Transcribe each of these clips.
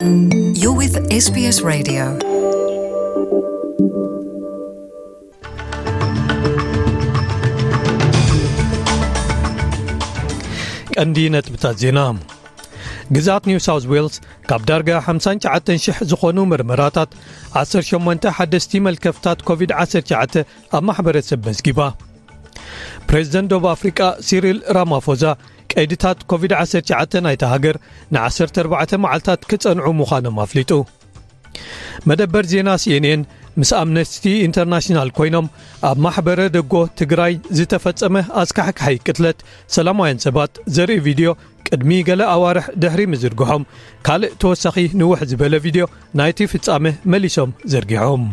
You're with S B S Radio. ቀንዲ ነጥብታት ዜና። ግዝኣት ኒው ሳውዝ ዌልስ ካብ ዳርጋ ሓምሳን ትሽዓተን ሽሕ ዝኾኑ መርመራታት ዓሰርተ ሸሞንተ ሓደስቲ መልከፍታት ኮቪድ ዓሰርተ ትሽዓተ ኣብ ማሕበረሰብ መዝጊባ። ፕሬዚደንት ደቡብ ኣፍሪቃ ሲሪል ራማፎዛ ቀይድታት ኮቪድ ዓሰርተ ትሽዓተ ናይታ ሃገር ንዓሰርተ ኣርባዕተ መዓልታት ክጸንዑ ምዃኖም ኣፍሊጡ። መደበር ዜና ሲኤንኤን ምስ ኣምነስቲ ኢንተርናሽናል ኮይኖም ኣብ ማሕበረ ደጎ ትግራይ ዝተፈጸመ ኣስካሕካሒ ቅትለት ሰላማውያን ሰባት ዘርኢ ቪድዮ ቅድሚ ገለ ኣዋርሕ ድሕሪ ምዝርግሖም፣ ካልእ ተወሳኺ ንውሕ ዝበለ ቪድዮ ናይቲ ፍጻመ መሊሶም ዘርጊሖም።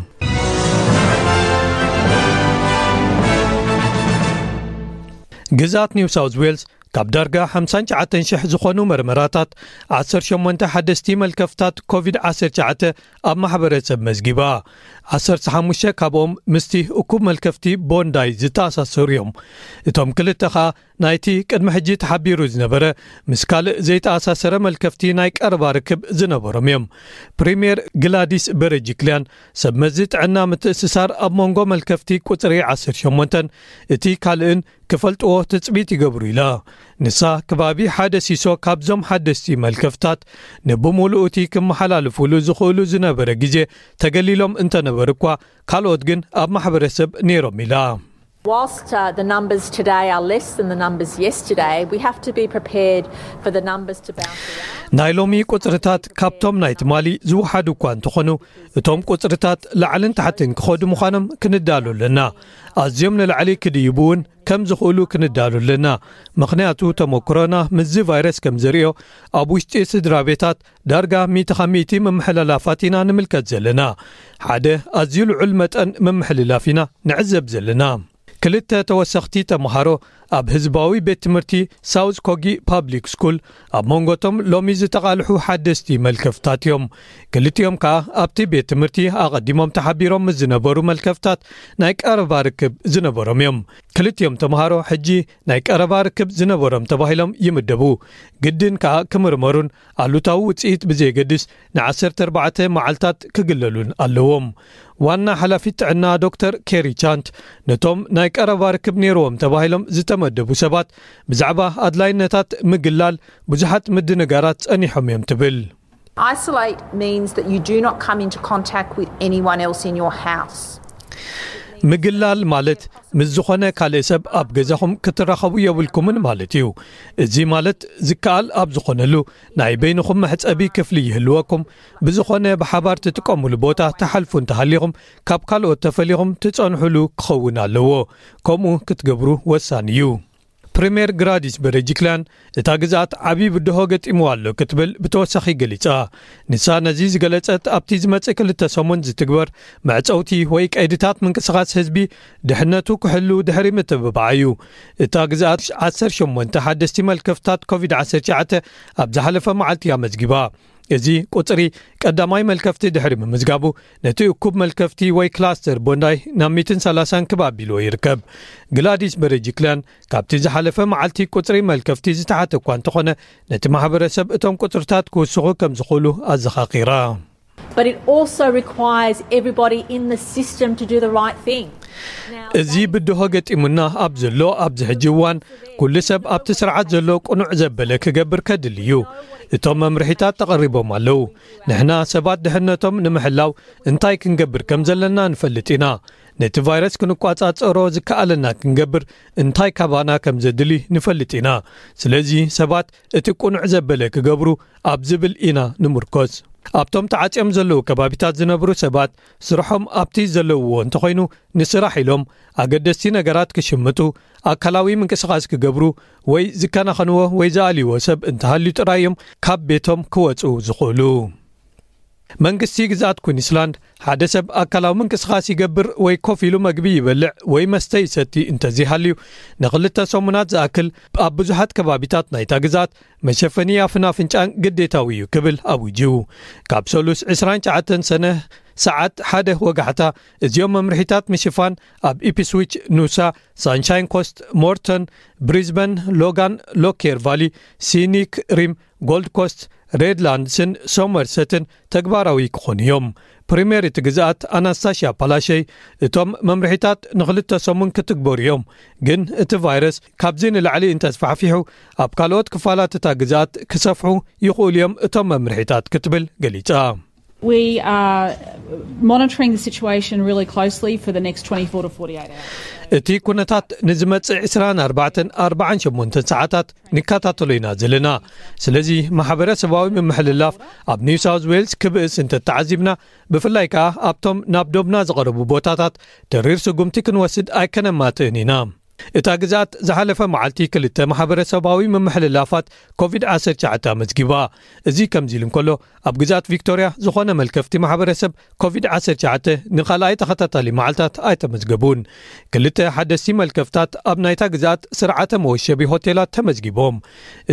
ግዝኣት ኒው ሳውዝ ዌልስ ካብ ዳርጋ ሓምሳን ትሽዓተን ሽሕ ዝኾኑ መርመራታት ዓሰርተ ሸሞንተ ሓደስቲ መልከፍታት ኮቪድ ዓሰርተ ትሽዓተ ኣብ ማሕበረሰብ መዝጊባ። ዓሰርተ ሓሙሽተ ካብኦም ምስቲ እኩብ መልከፍቲ ቦንዳይ ዝተኣሳሰሩ እዮም። እቶም ክልተ ኸኣ ናይቲ ቅድሚ ሕጂ ተሓቢሩ ዝነበረ ምስ ካልእ ዘይተኣሳሰረ መልከፍቲ ናይ ቀረባ ርክብ ዝነበሮም እዮም። ፕሪምየር ግላዲስ በረጅክልያን ሰብ መዚ ጥዕና ምትእስሳር ኣብ መንጎ መልከፍቲ ቁጽሪ ዓሰርተ ሸሞንተን እቲ ካልእን ክፈልጥዎ ትጽቢት ይገብሩ ኢላ። ንሳ ከባቢ ሓደ ሲሶ ካብዞም ሓደስቲ መልከፍታት ንብምሉኡ እቲ ክመሓላልፉሉ ዝኽእሉ ዝነበረ ግዜ ተገሊሎም እንተነበሩ እኳ ካልኦት ግን ኣብ ማሕበረሰብ ነይሮም ኢላ። Whilst uh, the numbers today are less than the numbers yesterday, we have to be prepared for the numbers to bounce around. ናይ ሎሚ ቁጽርታት ካብቶም ናይ ትማሊ ዝወሓዱ እኳ እንተኾኑ፣ እቶም ቁጽርታት ላዕልን ታሕትን ክኸዱ ምዃኖም ክንዳሉ ኣለና። ኣዝዮም ንላዕሊ ክድይቡ እውን ከም ዝኽእሉ ክንዳሉ ኣለና። ምኽንያቱ ተመክሮና ምስዚ ቫይረስ ከም ዘርእዮ፣ ኣብ ውሽጢ ስድራ ቤታት ዳርጋ ሚእቲ ካብ ሚእቲ ምምሕልላፋት ኢና ንምልከት ዘለና። ሓደ ኣዝዩ ልዑል መጠን ምምሕልላፍ ኢና ንዕዘብ ዘለና። ክልተ ተወሰኽቲ ተምሃሮ ኣብ ህዝባዊ ቤት ትምህርቲ ሳውዝ ኮጊ ፓብሊክ ስኩል ኣብ መንጎቶም ሎሚ ዝተቓልሑ ሓደስቲ መልከፍታት እዮም። ክልቲኦም ከኣ ኣብቲ ቤት ትምህርቲ ኣቐዲሞም ተሓቢሮም ምስ ዝነበሩ መልከፍታት ናይ ቀረባ ርክብ ዝነበሮም እዮም። ክልቲኦም ተምሃሮ ሕጂ ናይ ቀረባ ርክብ ዝነበሮም ተባሂሎም ይምደቡ። ግድን ከኣ ክምርመሩን ኣሉታዊ ውጽኢት ብዘየገድስ ንዓሰርተ ኣርባዕተ መዓልታት ክግለሉን ኣለዎም። ዋና ሓላፊት ጥዕና ዶክተር ኬሪ ቻንት ነቶም ናይ ቀረባ ርክብ ነይርዎም ተባሂሎም ዝተመደቡ ሰባት ብዛዕባ ኣድላይነታት ምግላል ብዙሓት ምድንጋራት ጸኒሖም እዮም ትብል። Isolate means that you do not come into contact with anyone else in your house. ምግላል ማለት ምስ ዝኾነ ካልእ ሰብ ኣብ ገዛኹም ክትራኸቡ የብልኩምን ማለት እዩ። እዚ ማለት ዝከኣል ኣብ ዝኾነሉ ናይ በይንኹም መሕጸቢ ክፍሊ ይህልወኩም። ብዝኾነ ብሓባር ትጥቀሙሉ ቦታ ትሓልፉ እንተሃሊኹም ካብ ካልኦት ተፈሊኹም ትጸንሑሉ ክኸውን ኣለዎ። ከምኡ ክትገብሩ ወሳኒ እዩ። ፕሪምየር ግራዲስ በረጅክላን እታ ግዝኣት ዓብዪ ብድሆ ገጢምዋ ኣሎ ክትብል ብተወሳኺ ገሊጻ። ንሳ ነዚ ዝገለጸት ኣብቲ ዝመጽእ ክልተ ሰሙን ዝትግበር መዕጸውቲ ወይ ቀይድታት ምንቅስቓስ ህዝቢ ድሕነቱ ክሕሉ ድሕሪ ምትብባዓ እዩ። እታ ግዝኣት ዓሰርተ ሸሞንተ ሓደስቲ መልከፍታት ኮቪድ ዓሰርተ ትሽዓተ ኣብ ዝሓለፈ መዓልቲ ኣመዝጊባ። እዚ ቁጽሪ ቀዳማይ መልከፍቲ ድሕሪ ምምዝጋቡ ነቲ እኩብ መልከፍቲ ወይ ክላስተር ቦንዳይ ናብ ሚእትን ሰላሳን ክብ ኣቢልዎ ይርከብ። ግላዲስ በረጅክላን ካብቲ ዝሓለፈ መዓልቲ ቁጽሪ መልከፍቲ ዝተሓተ እኳ እንተኾነ ነቲ ማሕበረሰብ እቶም ቁጽርታት ክውስኹ ከም ዝኽእሉ ኣዘኻኺራ። But it also requires everybody in the system to do the right thing. እዚ ብድሆ ገጢሙና ኣብ ዘሎ ኣብዚ ሕጂ እዋን ኩሉ ሰብ ኣብቲ ስርዓት ዘሎ ቅኑዕ ዘበለ ክገብር ከድሊ እዩ። እቶም መምርሒታት ተቐሪቦም ኣለዉ። ንሕና ሰባት ድሕነቶም ንምሕላው እንታይ ክንገብር ከም ዘለና ንፈልጥ ኢና። ነቲ ቫይረስ ክንቋጻጸሮ ዝከኣለና ክንገብር እንታይ ካባና ከም ዘድሊ ንፈልጥ ኢና። ስለዚ ሰባት እቲ ቅኑዕ ዘበለ ክገብሩ ኣብ ዝብል ኢና ንምርኮስ። ኣብቶም ተዓጽዮም ዘለዉ ከባቢታት ዝነብሩ ሰባት ስርሖም ኣብቲ ዘለውዎ እንተኾይኑ ንስራሕ ኢሎም ኣገደስቲ ነገራት ክሽምጡ፣ ኣካላዊ ምንቅስቓስ ክገብሩ ወይ ዝከናኸንዎ ወይ ዝኣልይዎ ሰብ እንተሃልዩ ጥራይ እዮም ካብ ቤቶም ክወጹ ዝኽእሉ። መንግስቲ ግዝኣት ኩንስላንድ ሓደ ሰብ ኣካላዊ ምንቅስቓስ ይገብር ወይ ኮፍ ኢሉ መግቢ ይበልዕ ወይ መስተ ይሰቲ እንተዘይሃልዩ ንኽልተ ሰሙናት ዝኣክል ኣብ ብዙሓት ከባቢታት ናይታ ግዝኣት መሸፈኒ ኣፍን ኣፍንጫን ግዴታዊ እዩ ክብል ኣዊጁ። ካብ ሰሉስ ዕስራን ትሽዓተን ሰነ ሰዓት ሓደ ወጋሕታ፣ እዚኦም መምርሒታት ምሽፋን ኣብ ኢፕስዊች፣ ኑሳ፣ ሳንሻይን ኮስት፣ ሞርተን፣ ብሪዝበን፣ ሎጋን፣ ሎኬር ቫሊ፣ ሲኒክ ሪም፣ ጎልድ ኮስት፣ ሬድላንድስን ሶመርሰትን ተግባራዊ ክኾኑ እዮም። ፕሪምየር እቲ ግዝኣት ኣናስታሽያ ፓላሸይ፣ እቶም መምርሒታት ንኽልተ ሰሙን ክትግበሩ እዮም፣ ግን እቲ ቫይረስ ካብዚ ንላዕሊ እንተስፋሕፊሑ፣ ኣብ ካልኦት ክፋላት እታ ግዝኣት ክሰፍሑ ይኽእሉ እዮም እቶም መምርሒታት ክትብል ገሊጻ። We are monitoring the situation really closely for the next twenty-four to forty-eight hours. እቲ ኩነታት ንዝመጽእ ዕስራን ኣርባዕተን ኣርባዓን ሸሞንተን ሰዓታት ንከታተሎ ኢና ዘለና። ስለዚ ማሕበረሰባዊ ምምሕልላፍ ኣብ ኒው ሳውዝ ዌልስ ክብእስ እንተተዓዚብና፣ ብፍላይ ከኣ ኣብቶም ናብ ዶብና ዝቐረቡ ቦታታት ተሪር ስጉምቲ ክንወስድ ኣይከነማትእን ኢና። እታ ግዝኣት ዝሓለፈ መዓልቲ ክልተ ማሕበረሰባዊ ምምሕልላፋት ኮቪድ ዓሰርተ ትሽዓተ ኣመዝጊባ። እዚ ከምዚ ኢሉ እንከሎ፣ ኣብ ግዝኣት ቪክቶርያ ዝኾነ መልከፍቲ ማሕበረሰብ ኮቪድ ዓሰርተ ትሽዓተ ንኻልኣይ ተኸታታሊ መዓልታት ኣይተመዝገቡን። ክልተ ሓደስቲ መልከፍታት ኣብ ናይታ ግዝኣት ስርዓተ መወሸቢ ሆቴላት ተመዝጊቦም።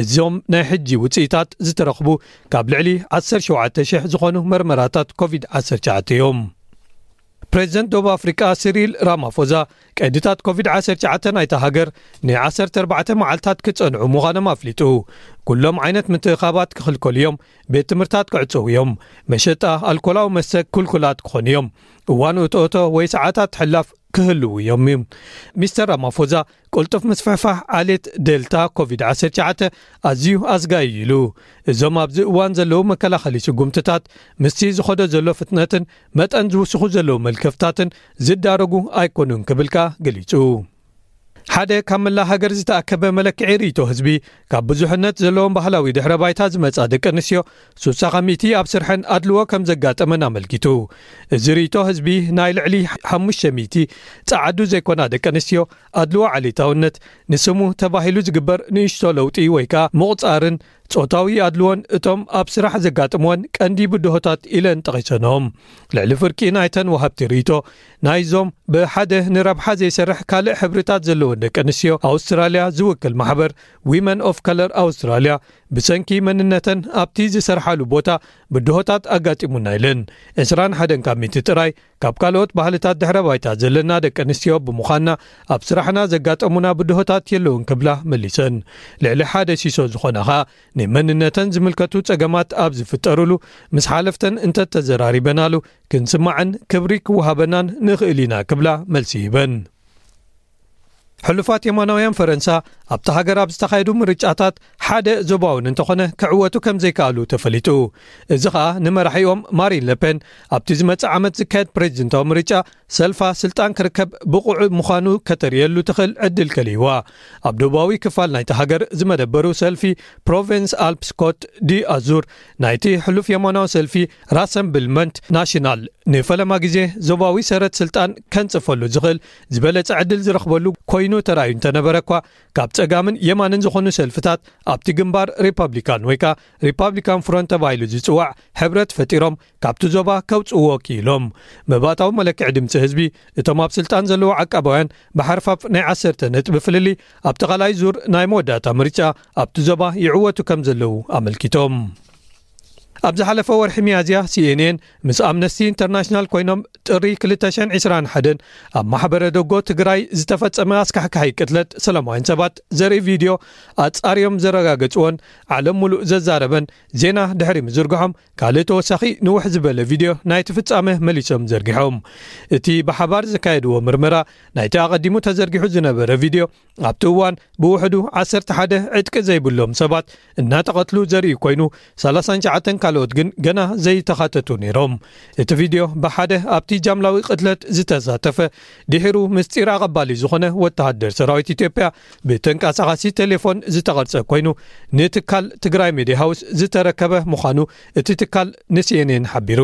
እዞም ናይ ሕጂ ውጽኢታት ዝተረኽቡ ካብ ልዕሊ ዓሰርተ ሸውዓተ ሽሕ ዝኾኑ መርመራታት ኮቪድ ዓሰርተ ትሽዓተ እዮም። ፕሬዚደንት ደቡብ ኣፍሪቃ ሲሪል ራማፎዛ፣ ቀይድታት ኮቪድ ዓሰርተ ትሽዓተ ናይታ ሃገር ን ዓሰርተ ኣርባዕተ መዓልታት ክጸንዑ ምዃኖም ኣፍሊጡ። ኩሎም ዓይነት ምትእኻባት ክኽልከሉ እዮም፣ ቤት ትምህርታት ክዕጸዉ እዮም፣ መሸጣ ኣልኮላዊ መስተ ክልኩላት ክኾኑ እዮም። እዋን እቶእቶ ወይ ሰዓታት ሕላፍ ክህልዉ እዮም። ሚስተር ራማፎዛ፣ ቅልጡፍ ምስፍሕፋሕ ዓሌት ዴልታ ኮቪድ ዓሰርተ ትሽዓተ ኣዝዩ ኣስጋኢ ኢሉ። እዞም ኣብዚ እዋን ዘለዉ መከላኸሊ ስጉምትታት ምስቲ ዝኸዶ ዘሎ ፍጥነትን መጠን ዝውስኹ ዘለዉ መልከፍታትን ዝዳረጉ ኣይኮኑን ክብል ከኣ ገሊጹ። ሓደ ካብ መላእ ሃገር ዝተኣከበ መለክዒ ርእይቶ ህዝቢ፣ ካብ ብዙሕነት ዘለዎም ባህላዊ ድሕረ ባይታ ዝመጻ ደቂ ኣንስትዮ፣ ሱሳ ካብ ሚእቲ ኣብ ስርሐን ኣድልዎ ከም ዘጋጠመን ኣመልኪቱ። እዚ ርእይቶ ህዝቢ፣ ናይ ልዕሊ ሓሙሽተ ሚእቲ ጸዓዱ ዘይኮና ደቂ ኣንስትዮ ኣድልዎ ዓሌታውነት፣ ንስሙ ተባሂሉ ዝግበር ንእሽቶ ለውጢ ወይ ከኣ ምቑጻርን ጾታዊ ኣድልዎን እቶም ኣብ ስራሕ ዘጋጥምወን ቀንዲ ብድሆታት ኢለን ጠቒሰንኦም። ልዕሊ ፍርቂ ናይተን ወሃብቲ ርእይቶ፣ ናይዞም ብሓደ ንረብሓ ዘይሰርሕ ካልእ ሕብርታት ዘለወን ደቂ ኣንስትዮ ኣውስትራልያ ዝውክል ማሕበር ዊመን ኦፍ ከለር ኣውስትራልያ፣ ብሰንኪ መንነተን ኣብቲ ዝሰርሓሉ ቦታ ብድሆታት ኣጋጢሙና ኢለን። ዕስራን ሓደን ካብ ሚእቲ ጥራይ ካብ ካልኦት ባህልታት ድሕረ ባይታ ዘለና ደቂ ኣንስትዮ ብምዃንና፣ ኣብ ስራሕና ዘጋጠሙና ብድሆታት የለውን ክብላ መሊሰን። ልዕሊ ሓደ ሲሶ ዝኾና ኸኣ፣ ንመንነተን ዝምልከቱ ጸገማት ኣብ ዝፍጠሩሉ፣ ምስ ሓለፍተን እንተተዘራሪበናሉ፣ ክንስማዕን ክብሪ ክወሃበናን ንኽእል ኢና ክብላ መልሲ ሂበን። ሕሉፋት የማናውያን ፈረንሳ ኣብቲ ሃገር ኣብ ዝተኻየዱ ምርጫታት ሓደ ዞባውን እንተኾነ ክዕወቱ ከም ዘይከኣሉ ተፈሊጡ። እዚ ኸኣ ንመራሒኦም ማሪን ለፔን ኣብቲ ዝመጽእ ዓመት ዝካየድ ፕሬዚደንታዊ ምርጫ ሰልፋ ስልጣን ክርከብ ብቑዕ ምዃኑ ከተርእየሉ ትኽእል ዕድል ከልይዋ። ኣብ ደቡባዊ ክፋል ናይቲ ሃገር ዝመደበሩ ሰልፊ ፕሮቪንስ ኣልፕስ ኮት ዲ ኣዙር ናይቲ ሕሉፍ የማናዊ ሰልፊ ራሰምብልመንት ናሽናል ንፈለማ ግዜ ዞባዊ ሰረት ስልጣን ከንጽፈሉ ዝኽእል ዝበለጸ ዕድል ዝረኽበሉ ኮይኑ ተራእዩ እንተነበረ እኳ፣ ካብ ጸጋምን የማንን ዝኾኑ ሰልፍታት ኣብቲ ግንባር ሪፓብሊካን ወይ ከኣ ሪፓብሊካን ፍሮንት ተባሂሉ ዝጽዋዕ ሕብረት ፈጢሮም ካብቲ ዞባ ከውጽእዎ ክኢሎም። መባእታዊ መለክዒ ድምጺ ህዝቢ፣ እቶም ኣብ ስልጣን ዘለዉ ዓቃባውያን ብሓርፋፍ ናይ ዓሰርተ ነጥቢ ፍልልይ ኣብቲ ካልኣይ ዙር ናይ መወዳእታ ምርጫ ኣብቲ ዞባ ይዕወቱ ከም ዘለዉ ኣመልኪቶም። ኣብ ዝሓለፈ ወርሒ ሚያዝያ፣ ሲኤንኤን ምስ ኣምነስቲ ኢንተርናሽናል ኮይኖም ጥሪ ክልተ ሽሕን ዕስራን ሓደን ኣብ ማሕበረ ደጎ ትግራይ ዝተፈጸመ ኣስካሕካሒ ቅትለት ሰላማውያን ሰባት ዘርኢ ቪድዮ ኣጻርዮም ዘረጋገጽዎን ዓለም ሙሉእ ዘዛረበን ዜና ድሕሪ ምዝርግሖም፣ ካልእ ተወሳኺ ንውሕ ዝበለ ቪድዮ ናይቲ ፍጻመ መሊሶም ዘርጊሖም። እቲ ብሓባር ዘካየድዎ ምርመራ ናይቲ ኣቐዲሙ ተዘርጊሑ ዝነበረ ቪድዮ፣ ኣብቲ እዋን ብውሕዱ ዓሰርተ ሓደ ዕጥቂ ዘይብሎም ሰባት እናተቐትሉ ዘርኢ ኮይኑ፣ ሰላሳን ትሽዓተን ካልኦት ግን ገና ዘይተኻተቱ ነይሮም። እቲ ቪድዮ ብሓደ ኣብቲ ጃምላዊ ቅትለት ዝተሳተፈ፣ ድሒሩ ምስጢር ኣቐባሊ ዝኾነ ወተሃደር ሰራዊት ኢትዮጵያ ብተንቀሳቓሲ ቴሌፎን ዝተቐርጸ ኮይኑ፣ ንትካል ትግራይ ሜድያ ሃውስ ዝተረከበ ምዃኑ እቲ ትካል ንሲኤንኤን ሓቢሩ።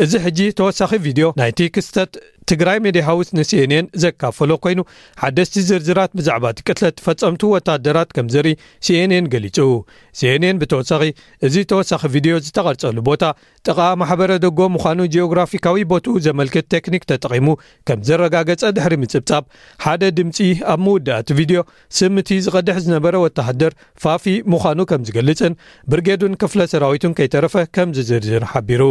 እዚ ሕጂ ተወሳኺ ቪድዮ ናይቲ ክስተት ትግራይ ሜድያ ሃውስ ንሲኤንኤን ዘካፈሎ ኮይኑ፣ ሓደስቲ ዝርዝራት ብዛዕባ እቲ ቅትለት ፈጸምቱ ወታደራት ከም ዘርኢ ሲኤንኤን ገሊጹ። ሲኤንኤን ብተወሳኺ፣ እዚ ተወሳኺ ቪድዮ ዝተቐርጸሉ ቦታ ጥቓ ማሕበረ ደጎ ምዃኑ ጂኦግራፊካዊ ቦትኡ ዘመልክት ቴክኒክ ተጠቒሙ ከም ዘረጋገጸ ድሕሪ ምጽብጻብ፣ ሓደ ድምጺ ኣብ መወዳእቲ ቪድዮ ስም እቲ ዝቐድሕ ዝነበረ ወተሃደር ፋፊ ምዃኑ ከም ዝገልጽን ብርጌዱን ክፍለ ሰራዊቱን ከይተረፈ ከም ዝዝርዝር ሓቢሩ።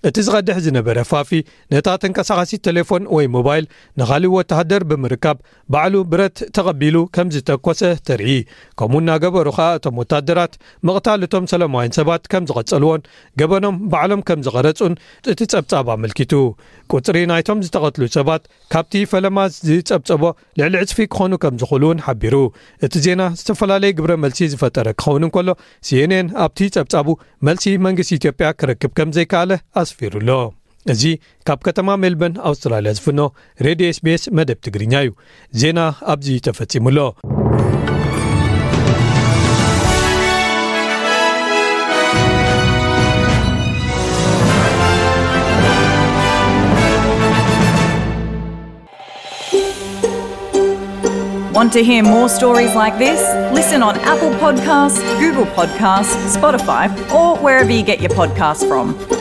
እቲ ዝቐድሕ ዝነበረ ፋፊ ነታ ተንቀሳቓሲት ቴሌፎን ወይ ሞባይል ንኻልእ ወተሃደር ብምርካብ ባዕሉ ብረት ተቐቢሉ ከም ዝተኮሰ ተርኢ። ከምኡ እናገበሩ ኸኣ እቶም ወታደራት ምቕታል እቶም ሰላማውያን ሰባት ከም ዝቐጸልዎን ገበኖም ባዕሎም ከም ዝቐረጹን እቲ ጸብጻብ ኣመልኪቱ። ቁጽሪ ናይቶም ዝተቐትሉ ሰባት ካብቲ ፈለማ ዝጸብጸቦ ልዕሊ ዕጽፊ ክኾኑ ከም ዝኽእሉ እውን ሓቢሩ። እቲ ዜና ዝተፈላለየ ግብረ መልሲ ዝፈጠረ ክኸውን እንከሎ፣ ሲኤንኤን ኣብቲ ጸብጻቡ መልሲ መንግስቲ ኢትዮጵያ ክረክብ ከም ዘይከኣለ ኣስፊሩ ኣሎ። እዚ ካብ ከተማ ሜልበርን ኣውስትራልያ ዝፍኖ ሬድዮ ኤስቢኤስ መደብ ትግርኛ እዩ። ዜና ኣብዚ ተፈጺሙ ኣሎ። Want to hear more stories like this? Listen on Apple Podcasts, Google Podcasts, Spotify, or wherever you get your podcasts from.